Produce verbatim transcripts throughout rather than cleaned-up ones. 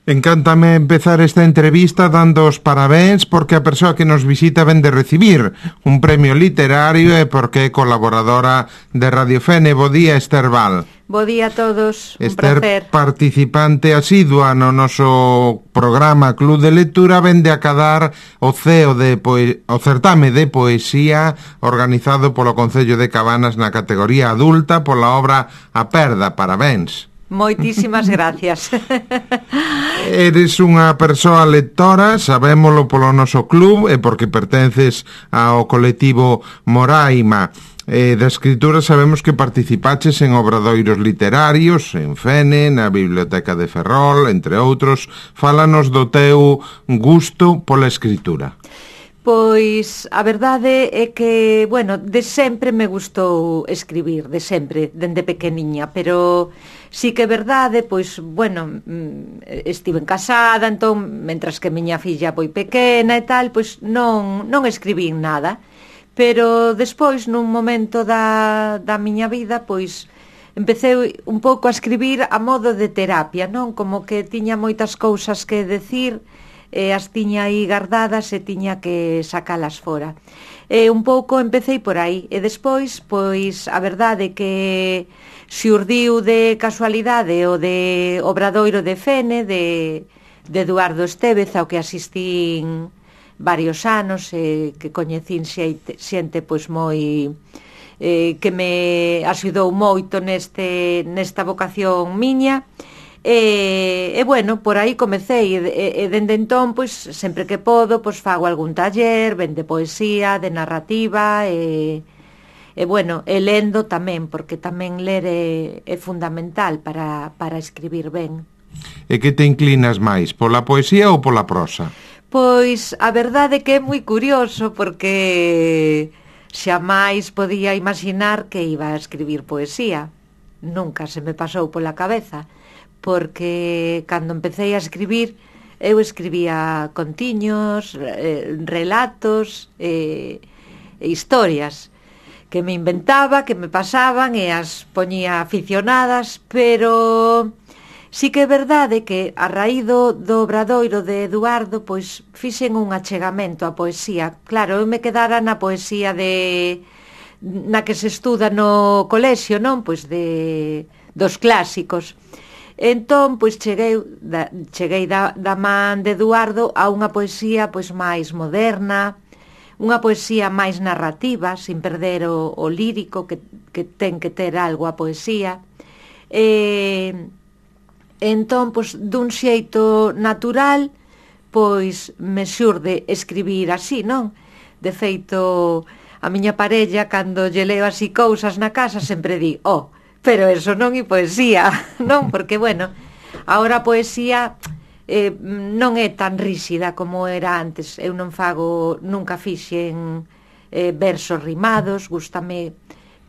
Encántame empezar esta entrevista dando os parabéns porque a persoa que nos visita ven de recibir un premio literario e porque é colaboradora de Radio Fene. Bo día, Esther Val. Bo día a todos, un Esther, placer. participante asidua no noso programa Club de Lectura, vende a cadar o ceo de poe... o certame de poesía organizado polo Concello de Cabanas na categoría adulta pola obra A Perda. Parabéns. Moitísimas gracias. Eres unha persoa lectora, sabémolo polo noso club e porque pertences ao colectivo Moraima. Eh, da escritura sabemos que participaches en obradoiros literarios, en Fene, na Biblioteca de Ferrol, entre outros. Fálanos do teu gusto pola escritura. Pois a verdade é que, bueno, de sempre me gustou escribir, de sempre, dende pequeniña, pero sí que é verdade, pois, bueno, estive casada, entón, mentras que miña filla foi pequena e tal, pois non, non escribín nada, pero despois, nun momento da, da miña vida, pois, empecé un pouco a escribir a modo de terapia, non? Como que tiña moitas cousas que decir, e as tiña aí guardadas e tiña que sacalas fora. E un pouco empecéi por aí, e despois, pois, a verdade que xurdiu de casualidade o de Obradoiro de Fene, de, de Eduardo Estévez, ao que asistín varios anos, e que coñecín xente, xente pois moi... Eh, que me axudou moito neste, nesta vocación miña. E, e bueno, por aí comecei e, e dende entón, pois, sempre que podo, pois fago algún taller, ben de poesía, de narrativa e, e bueno, e lendo tamén, porque tamén ler é, é fundamental para, para escribir ben. E que te inclinas máis, pola poesía ou pola prosa? Pois a verdade que é moi curioso, porque xamais podía imaginar que iba a escribir poesía. Nunca se me pasou pola cabeza, porque cando empecé a escribir eu escribía contiños, eh, relatos e eh, historias que me inventaba, que me pasaban e as poñía aficionadas, pero sí que é verdade que a raíz do, do obradoiro de Eduardo, pois fixen un achegamento á poesía. Claro, eu me quedara na poesía de na que se estuda no colexio, non? Pois de dos clásicos. Entón, pois cheguei da, cheguei da, da man de Eduardo a unha poesía pois máis moderna, unha poesía máis narrativa, sin perder o, o lírico que, que ten que ter algo a poesía. E, entón, pois dun xeito natural, pois me xurde escribir así, non? De feito, a miña parella, cando lle leo así cousas na casa, sempre di, oh, pero eso non é poesía, non? Porque, bueno, agora a poesía eh, non é tan ríxida como era antes. Eu non fago, nunca fixen eh, versos rimados, gústame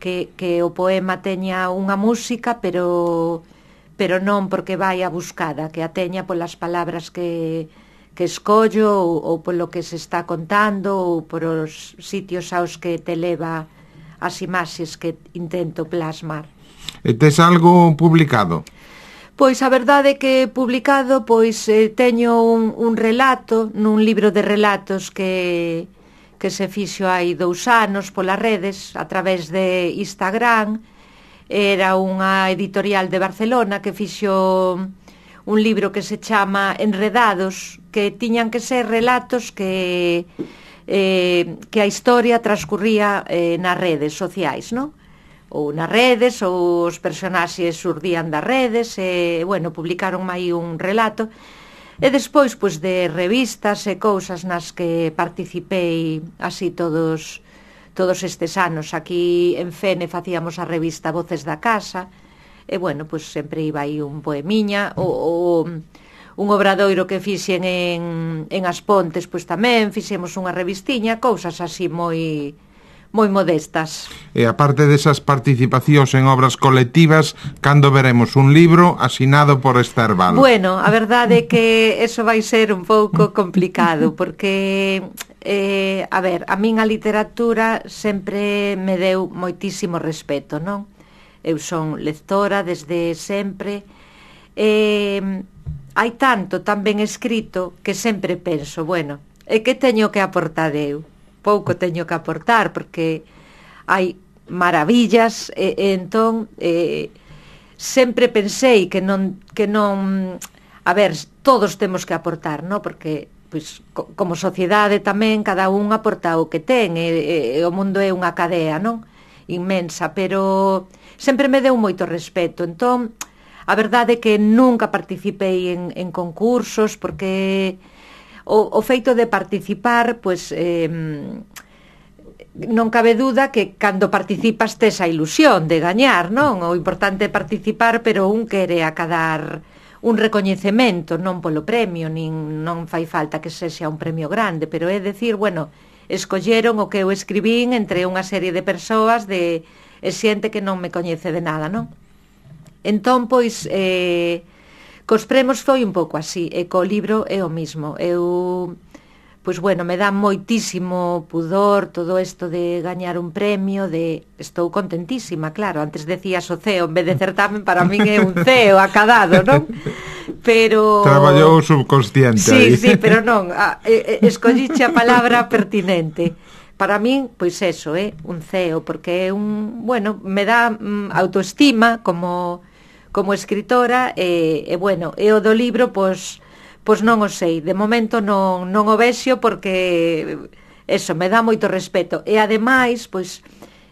que, que o poema teña unha música, pero, pero non porque vai a buscada, que a teña polas palabras que, que escollo ou, ou polo que se está contando ou por os sitios aos que te leva as imaxes que intento plasmar. E tes algo publicado? Pois a verdade é que publicado pois eh, teño un, un relato nun libro de relatos que, que se fixo hai dous anos polas redes a través de Instagram. Era unha editorial de Barcelona que fixo un libro que se chama Enredados, que tiñan que ser relatos que, eh, que a historia transcurría eh, nas redes sociais, non? Ou nas redes, ou os personaxes xurdían das redes, e, bueno, publicaron aí un relato. E despois, pois, de revistas e cousas nas que participei así todos todos estes anos. Aquí en Fene facíamos a revista Voces da Casa, e, bueno, pois sempre iba aí un poemiña, ou, ou un obradoiro que fixen en, en As Pontes, pois tamén fixemos unha revistiña, cousas así moi... moi modestas. E aparte desas participacións en obras colectivas, cando veremos un libro asinado por Esther Val? Bueno, a verdade é que eso vai ser un pouco complicado, porque, eh, a ver, a min a literatura sempre me deu moitísimo respeto, non? Eu son lectora desde sempre, e hai tanto tan ben escrito que sempre penso, bueno, e que teño que aportar eu? Pouco teño que aportar, porque hai maravillas, e, e entón e, sempre pensei que non, que non, a ver, todos temos que aportar, non? Porque pois, co, como sociedade tamén cada un aporta o que ten, e, e, e o mundo é unha cadea, non? Inmensa, pero sempre me deu moito respeto, entón a verdade é que nunca participei en, en concursos, porque o, o feito de participar, pois, eh, non cabe duda que cando participas tes a ilusión de gañar, non? O importante é participar, pero un quere acadar un recoñecemento, non polo premio, nin non fai falta que sexa un premio grande, pero é decir, bueno, escolleron o que eu escribín entre unha serie de persoas de e xente que non me coñece de nada, non? Entón, pois, eh, cos premios foi un pouco así, e co libro é o mismo. Eu, pois, bueno, me dá moitísimo pudor todo isto de gañar un premio, de... Estou contentísima, claro, antes decías o C E O, en vez de certamen, para min é un C E O acadado, non? Pero... Traballou o subconsciente sí, aí. Sí, pero non, a, e, escolliche a palabra pertinente. Para min, pois eso, é eh, un C E O, porque é un, bueno, me dá mm, autoestima como, como escritora, e, e bueno, e o do libro, pois, pois non o sei, de momento non, non o vexo, porque eso, me dá moito respeto, e ademais, pois,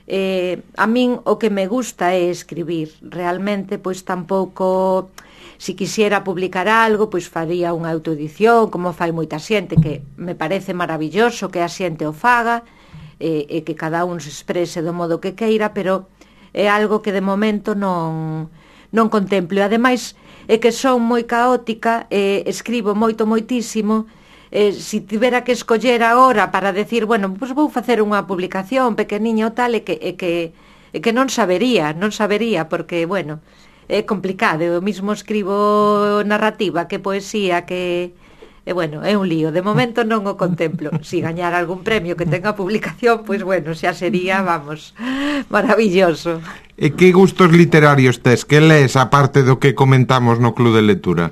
eh, a min o que me gusta é escribir, realmente, pois tampouco, si quisiera publicar algo, pois faría unha autoedición, como fai moita xente, que me parece maravilloso que a xente o faga, e, e que cada un se exprese do modo que queira, pero é algo que de momento non, non contemplo. E ademais é que son moi caótica, e escribo moito, moitísimo, e si tivera que escoller agora para decir, bueno, pois vou facer unha publicación pequeniña ou tal, e que, e que, e que non sabería, non sabería, porque, bueno, é complicado. Eu mismo escribo narrativa, que poesía, que... E, bueno, é un lío. De momento non o contemplo. Si gañar algún premio que tenga publicación, pois, bueno, xa sería, vamos, maravilloso. E que gustos literarios tes? Que lees, aparte do que comentamos no Club de Lectura?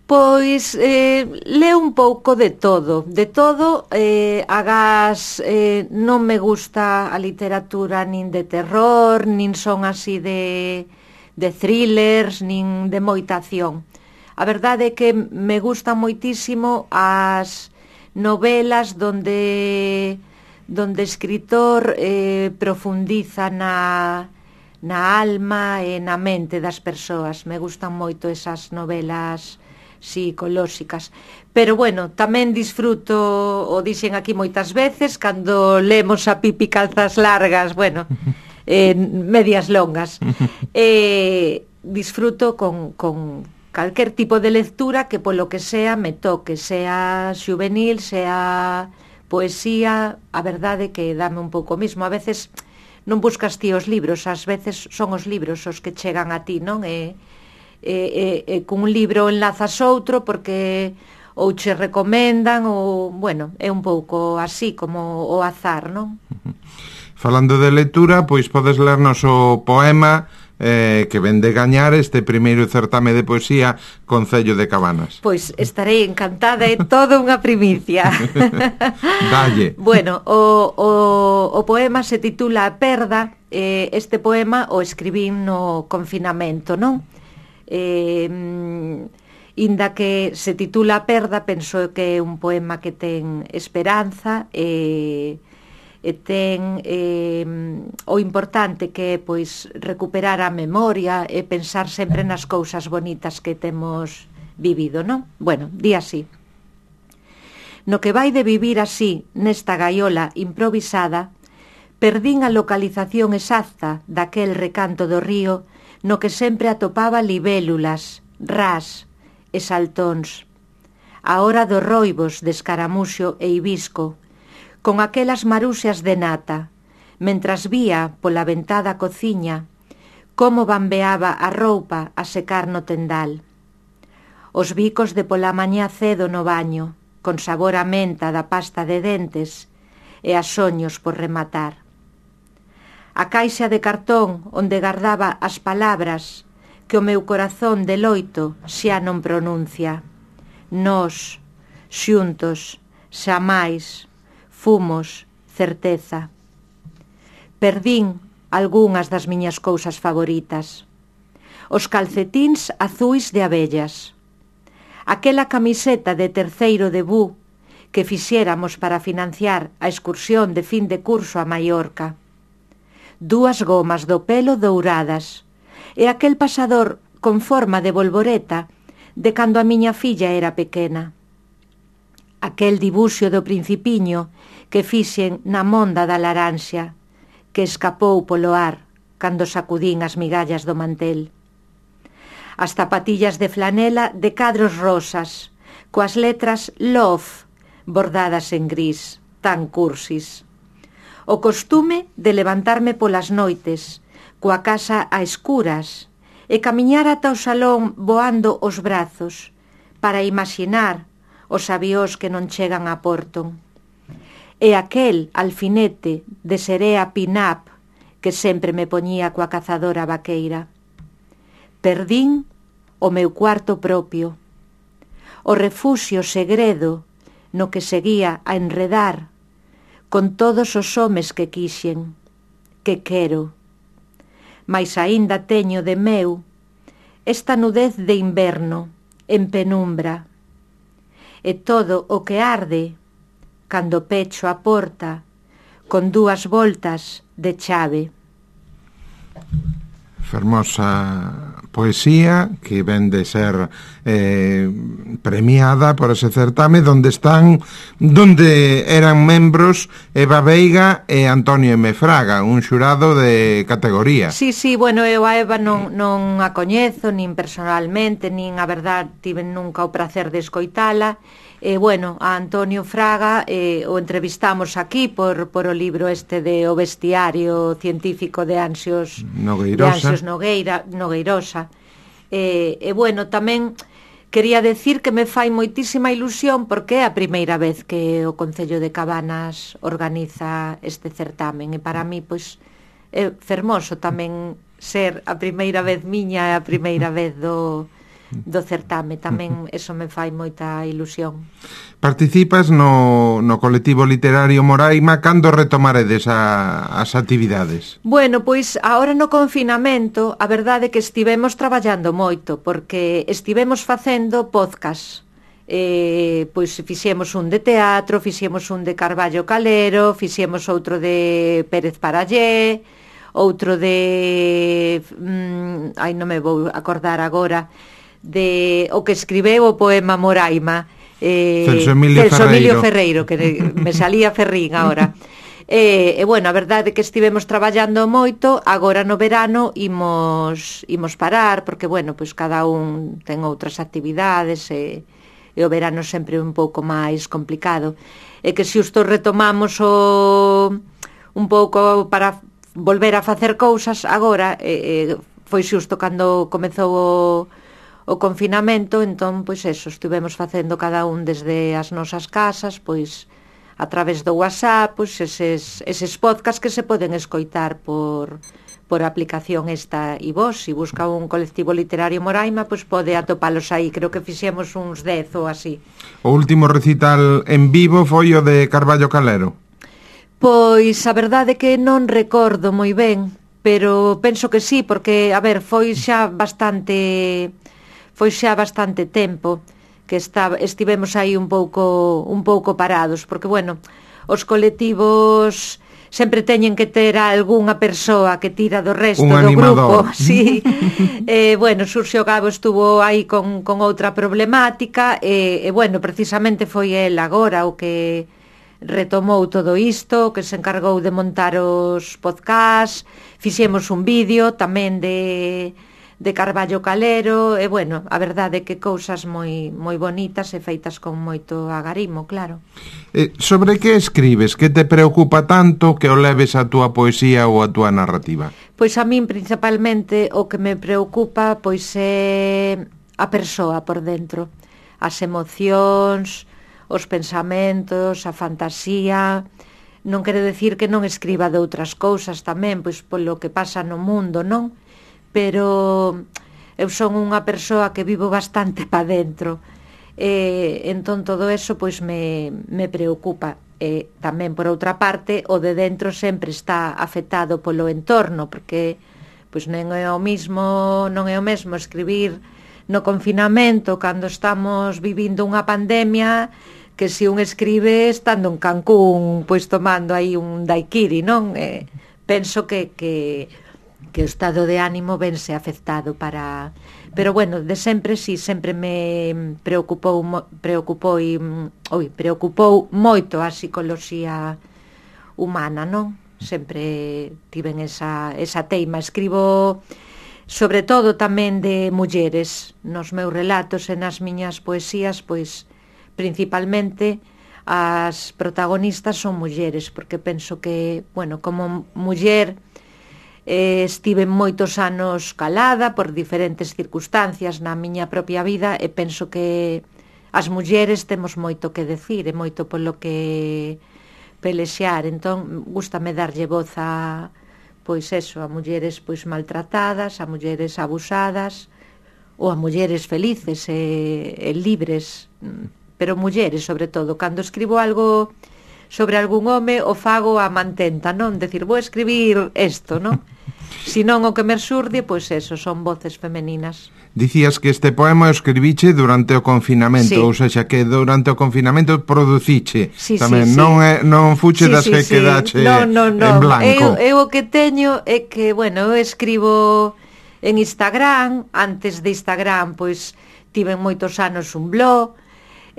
Pois, eh, leo un pouco de todo. De todo, eh, agás, eh, non me gusta a literatura nin de terror, nin son así de, de thrillers, nin de moita acción. A verdade é que me gustan moitísimo as novelas donde donde o escritor eh, profundiza na, na alma e na mente das persoas. Me gustan moito esas novelas psicolóxicas. Pero, bueno, tamén disfruto, o dixen aquí moitas veces, cando lemos a Pipi Calzas Largas, bueno, eh, medias longas, eh, disfruto con... con calquer tipo de lectura que polo que sea me toque, sea xuvenil, sea poesía, a verdade que dame un pouco mismo. A veces non buscas ti os libros, ás veces son os libros os que chegan a ti, non? E, e, e, e cun libro enlazas outro porque ou che recomendan, ou, bueno, é un pouco así como o azar, non? Falando de lectura, pois podes lernos o poema eh, que ven de gañar este primeiro certame de poesía Concello de Cabanas. Pois estarei encantada, é toda unha primicia. Dalle. Bueno, o, o, o poema se titula A Perda. eh, Este poema o escribín no confinamento, non? Eh, inda que se titula A Perda, penso que é un poema que ten esperanza e... e ten eh, o importante que é, pois, recuperar a memoria e pensar sempre nas cousas bonitas que temos vivido, non? Bueno, di así: no que vai de vivir así, nesta gaiola improvisada, perdín a localización exacta daquel recanto do río no que sempre atopaba libélulas, ras e saltóns, a hora dos roibos de escaramuxo e hibisco, con aquelas maruxas de nata, mentras vía pola ventada cociña como bambeaba a roupa a secar no tendal. Os bicos de pola mañá cedo no baño, con sabor a menta da pasta de dentes e a soños por rematar. A caixa de cartón onde gardaba as palabras que o meu corazón de loito xa non pronuncia. Nós, xuntos, xamais, fumos, certeza. Perdín algunhas das miñas cousas favoritas. Os calcetíns azuis de abellas. Aquela camiseta de terceiro debú que fixéramos para financiar a excursión de fin de curso a Mallorca. Dúas gomas do pelo douradas e aquel pasador con forma de bolboreta de cando a miña filla era pequena. Aquel dibuxo do Principiño que fixen na monda da laranxa, que escapou polo ar cando sacudín as migallas do mantel. As zapatillas de flanela de cadros rosas, coas letras Love bordadas en gris, tan cursis. O costume de levantarme polas noites, coa casa a escuras, e camiñar ata o salón voando os brazos, para imaxinar os avións que non chegan a Porto. E aquel alfinete de serea pin-up que sempre me poñía coa cazadora vaqueira. Perdín o meu cuarto propio, o refuxio segredo no que seguía a enredar con todos os homes que quixen, que quero. Mais aínda teño de meu esta nudez de inverno en penumbra, e todo o que arde cando pecho a porta con dúas voltas de chave. Fermosa poesía que ven de ser eh, premiada por ese certame donde están, donde eran membros Eva Veiga e Antonio M. Fraga, un xurado de categoría. Sí, sí, bueno, eu a Eva non, non a coñezo nin personalmente, nin a verdad tive nunca o prazer de escoitala. E, bueno, a Antonio Fraga eh, o entrevistamos aquí por, por o libro este de O Bestiario Científico de Anxios Nogueirosa, de Anxios Nogueira, Nogueirosa. E, e, bueno, tamén quería decir que me fai moitísima ilusión porque é a primeira vez que o Concello de Cabanas organiza este certamen, e para mí, pois, é fermoso tamén ser a primeira vez miña e a primeira vez do... do certame, tamén eso me fai moita ilusión. Participas no, no colectivo literario Moraima. Cando retomaredes a, as actividades? Bueno, pois agora no confinamento a verdade é que estivemos traballando moito porque estivemos facendo podcast. Eh, pois fixemos un de teatro, fixemos un de Carballo Calero, fixemos outro de Pérez Parallé, outro de... Mm, ai, non me vou acordar agora, de o que escribeu o poema Moraima, eh, Celso Emilio, Celso Emilio Ferreiro. Ferreiro, que me salía Ferrín agora. E, e bueno, a verdade é que estivemos traballando moito. Agora no verano imos, imos parar, porque bueno, pois cada un ten outras actividades e, e o verano sempre é un pouco máis complicado. E que se xusto retomamos o, un pouco para volver a facer cousas agora, e, e foi xusto cando comezou o o confinamento, entón, pois eso, estivemos facendo cada un desde as nosas casas, pois, a través do WhatsApp, pois, eses, eses podcast que se poden escoitar por, por a aplicación esta e vos, se busca un colectivo literario Moraima, pois pode atopalos aí, creo que fixemos uns dez ou así. O último recital en vivo foi o de Carballo Calero? Pois, a verdade é que non recordo moi ben, pero penso que sí, porque, a ver, foi xa bastante... foi xa bastante tempo que está, estivemos aí un pouco un pouco parados, porque, bueno, os colectivos sempre teñen que ter a algunha persoa que tira do resto un do animador. grupo, sí. eh, bueno, Xurxo Gabo estuvo aí con, con outra problemática, e, e, bueno, precisamente foi el agora o que retomou todo isto, que se encargou de montar os podcasts, fixemos un vídeo tamén de... de Carballo Calero, e bueno, a verdade é que cousas moi moi bonitas e feitas con moito agarimo, claro. Eh, sobre que escribes? Que te preocupa tanto que o leves a túa poesía ou a túa narrativa? Pois a min principalmente o que me preocupa pois é a persoa por dentro, as emocións, os pensamentos, a fantasía. Non quere decir que non escriba de outras cousas tamén, pois polo que pasa no mundo, non? Pero eu son unha persoa que vivo bastante pa dentro, e entón todo eso pois me, me preocupa. E tamén por outra parte o de dentro sempre está afectado polo entorno, porque pois non é o mismo, non é o mesmo escribir no confinamento cando estamos vivindo unha pandemia que se un escribe estando en Cancún pois tomando aí un daiquiri, non? Eh, penso que, que, que o estado de ánimo vense afectado para... Pero bueno, de sempre si, sí, sempre me preocupou preocupou oi, preocupou moito a psicoloxía humana, non? Sempre tiven esa, esa teima. Escribo sobre todo tamén de mulleres nos meus relatos e nas miñas poesías, pois principalmente as protagonistas son mulleres, porque penso que, bueno, como muller eh, estive moitos anos calada por diferentes circunstancias na miña propia vida e penso que as mulleres temos moito que decir e moito polo que pelexear, entón gústame darlle voz a, pois eso, a mulleres pois maltratadas, a mulleres abusadas ou a mulleres felices e, e libres, pero mulleres sobre todo. Cando escribo algo sobre algún home o fago a mantenta, non? Decir, vou escribir isto, non? Si non o que me xurde, pois eso, son voces femeninas. Dicías que este poema o escribiche durante o confinamento, sí. Ou seja, que durante o confinamento produciche sí, tamén, sí, sí. non é, non fuche sí, das sí, que sí. quedache no, no, no. en blanco. Eu, eu o que teño é que, bueno, eu escribo en Instagram, antes de Instagram, pois tiven moitos anos un blog,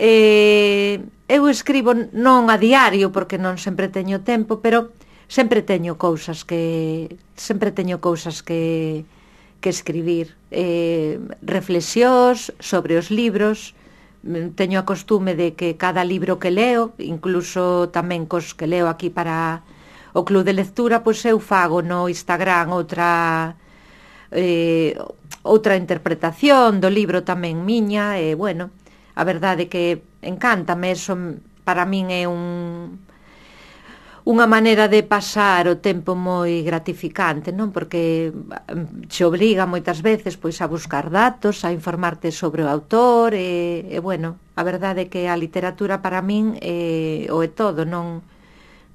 eh, eu escribo non a diario, porque non sempre teño tempo, pero sempre teño cousas que sempre teño cousas que que escribir, eh, reflexións sobre os libros. Teño a costume de que cada libro que leo, incluso tamén cos que leo aquí para o club de lectura, pois eu fago no Instagram outra eh, outra interpretación do libro tamén miña, e bueno, a verdade que encántame, eso para min é un unha maneira de pasar o tempo moi gratificante, non? Porque se obriga moitas veces pois a buscar datos, a informarte sobre o autor e, e bueno, a verdade é que a literatura para min é, o é todo, non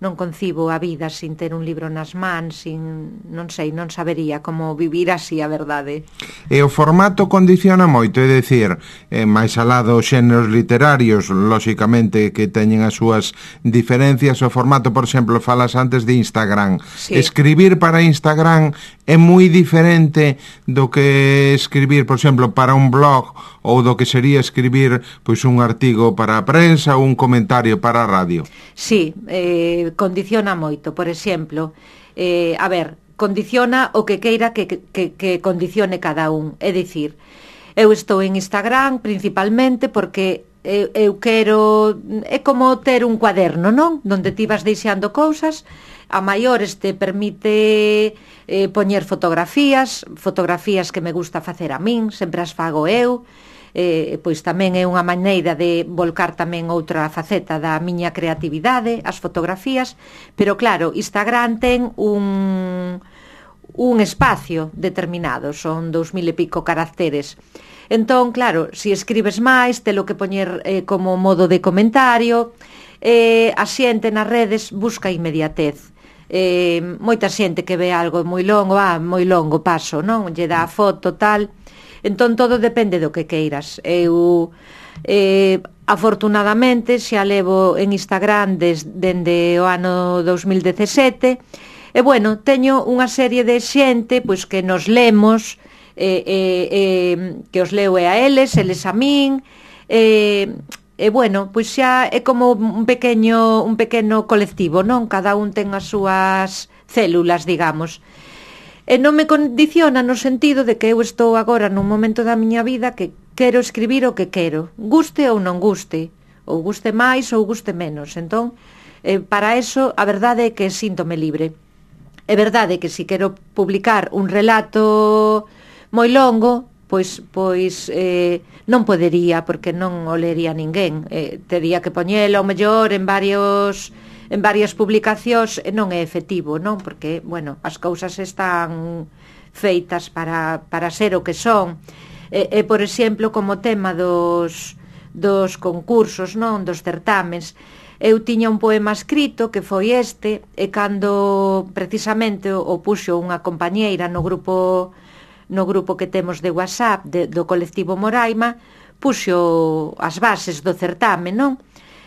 non concibo a vida sin ter un libro nas mans, sin, non sei, non sabería como vivir así, a verdade. E o formato condiciona moito, é dicir, eh, máis alá dos xéneros literarios, lóxicamente que teñen as súas diferencias, o formato, por exemplo, falas antes de Instagram. Sí. Escribir para Instagram é moi diferente do que escribir, por exemplo, para un blog ou do que sería escribir pois un artigo para a prensa ou un comentario para a radio. Sí, eh, condiciona moito, por exemplo, eh, a ver, condiciona o que queira que, que, que condicione cada un, é dicir, eu estou en Instagram principalmente porque eu, eu quero, é como ter un cuaderno, non? Donde ti vas deixando cousas, a maiores te permite eh, poñer fotografías, fotografías que me gusta facer a min, sempre as fago eu, eh, pois tamén é unha maneira de volcar tamén outra faceta da miña creatividade, as fotografías, pero claro, Instagram ten un, un espacio determinado, son dous mil e pico caracteres. Entón, claro, se si escribes máis, telo que poñer eh, como modo de comentario, eh, a xente nas redes busca inmediatez. Eh, moita xente que ve algo moi longo, ah, moi longo paso, non? Lle dá a foto, tal. Entón todo depende do que queiras. Eu eh, afortunadamente xa levo en Instagram des, dende o ano dos mil dezasete e bueno, teño unha serie de xente pois que nos lemos, eh, eh, eh, que os leo e a eles, eles a min, e eh, eh, bueno, pois xa é como un pequeño un pequeno colectivo, non? Cada un ten as súas células, digamos. E non me condiciona no sentido de que eu estou agora nun momento da miña vida que quero escribir o que quero, guste ou non guste, ou guste máis ou guste menos. Entón, eh, para eso, a verdade é que síntome libre. É verdade que se quero publicar un relato moi longo, pois pois eh, non podería, porque non o lería ninguén. Eh, tería que poñelo, ao mellor, en varios... en varias publicacións, non é efectivo, non? Porque, bueno, as cousas están feitas para, para ser o que son. E, e por exemplo, como tema dos, dos concursos, non, dos certámens. Eu tiña un poema escrito que foi este, e cando precisamente o puxo unha compañeira no grupo no grupo que temos de WhatsApp de, do colectivo Moraima, puxo as bases do certame, non?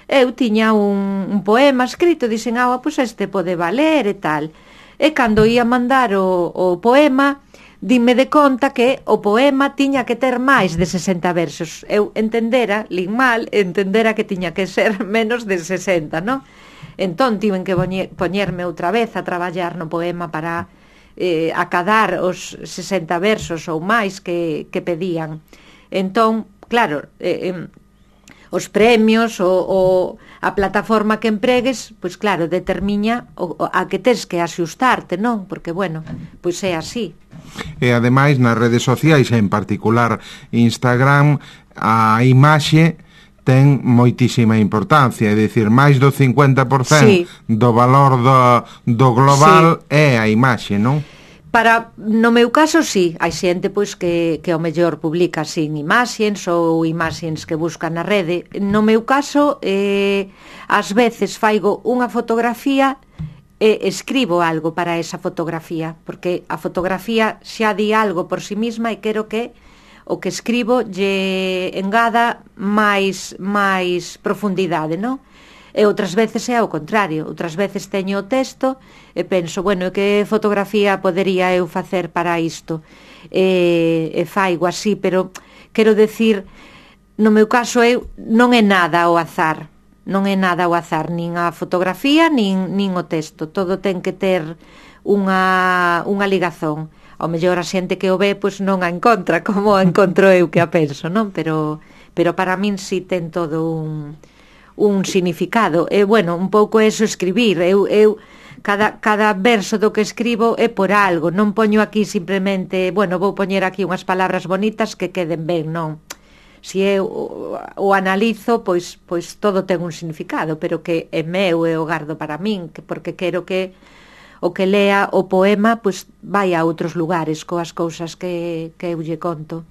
Eu tiña un, un poema escrito, dixen, ah, pois este pode valer e tal. E cando ia mandar o, o poema, dime de conta que o poema tiña que ter máis de sesenta versos. Eu entendera, lin mal, entendera que tiña que ser menos de sesenta, non? Entón, tiven que poñerme outra vez a traballar no poema para eh, acadar os sesenta versos ou máis que, que pedían. Entón, claro, eh, eh, os premios, o, o, a plataforma que empregues, pois claro, determina o, o, a que tes que axustarte, non? Porque, bueno, pois é así. E ademais nas redes sociais, en particular Instagram, a imaxe ten moitísima importancia, é dicir, máis do cincuenta por cento sí. do valor do, do global sí. é a imaxe, non? Para, no meu caso, sí, hai xente pois que, que ao mellor publica sin imaxens ou imaxens que busca na rede. No meu caso, eh, ás veces faigo unha fotografía e escribo algo para esa fotografía, porque a fotografía xa di algo por si misma e quero que o que escribo lle engada máis, máis profundidade, non? E outras veces é ao contrario, outras veces teño o texto e penso, bueno, que fotografía podería eu facer para isto? E, e faigo así, pero quero decir, no meu caso eu non é nada ao azar, non é nada ao azar, nin a fotografía, nin, nin o texto, todo ten que ter unha, unha ligazón. Ao mellor a xente que o ve pois non a encontra como a encontro eu que a penso, non? Pero, pero para min si ten todo un, un significado. E, bueno, un pouco eso escribir. Eu, eu cada, cada verso do que escribo é por algo. Non poño aquí simplemente, bueno, vou poñer aquí unhas palabras bonitas que queden ben, non. Si eu o, o analizo, pois, pois todo ten un significado, pero que é meu e o gardo para min, que porque quero que o que lea o poema pois vai a outros lugares coas cousas que, que eu lle conto.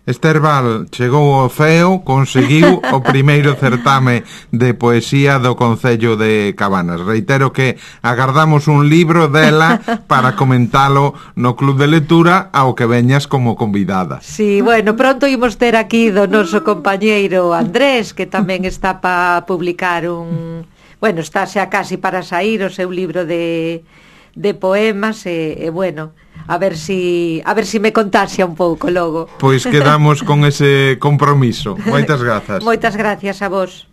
Ester Val chegou ao ceo, conseguiu o primeiro certame de poesía do Concello de Cabanas. Reitero que agardamos un libro dela para comentalo no Club de Lectura ao que veñas como convidada. Sí, bueno, pronto imos ter aquí do noso compañeiro Andrés, que tamén está para publicar un... Bueno, está xa casi para sair o seu libro de, de poemas e, e bueno, a ver si a ver si me contaxia un pouco logo. Pois quedamos con ese compromiso. Moitas grazas. Moitas gracias a vos.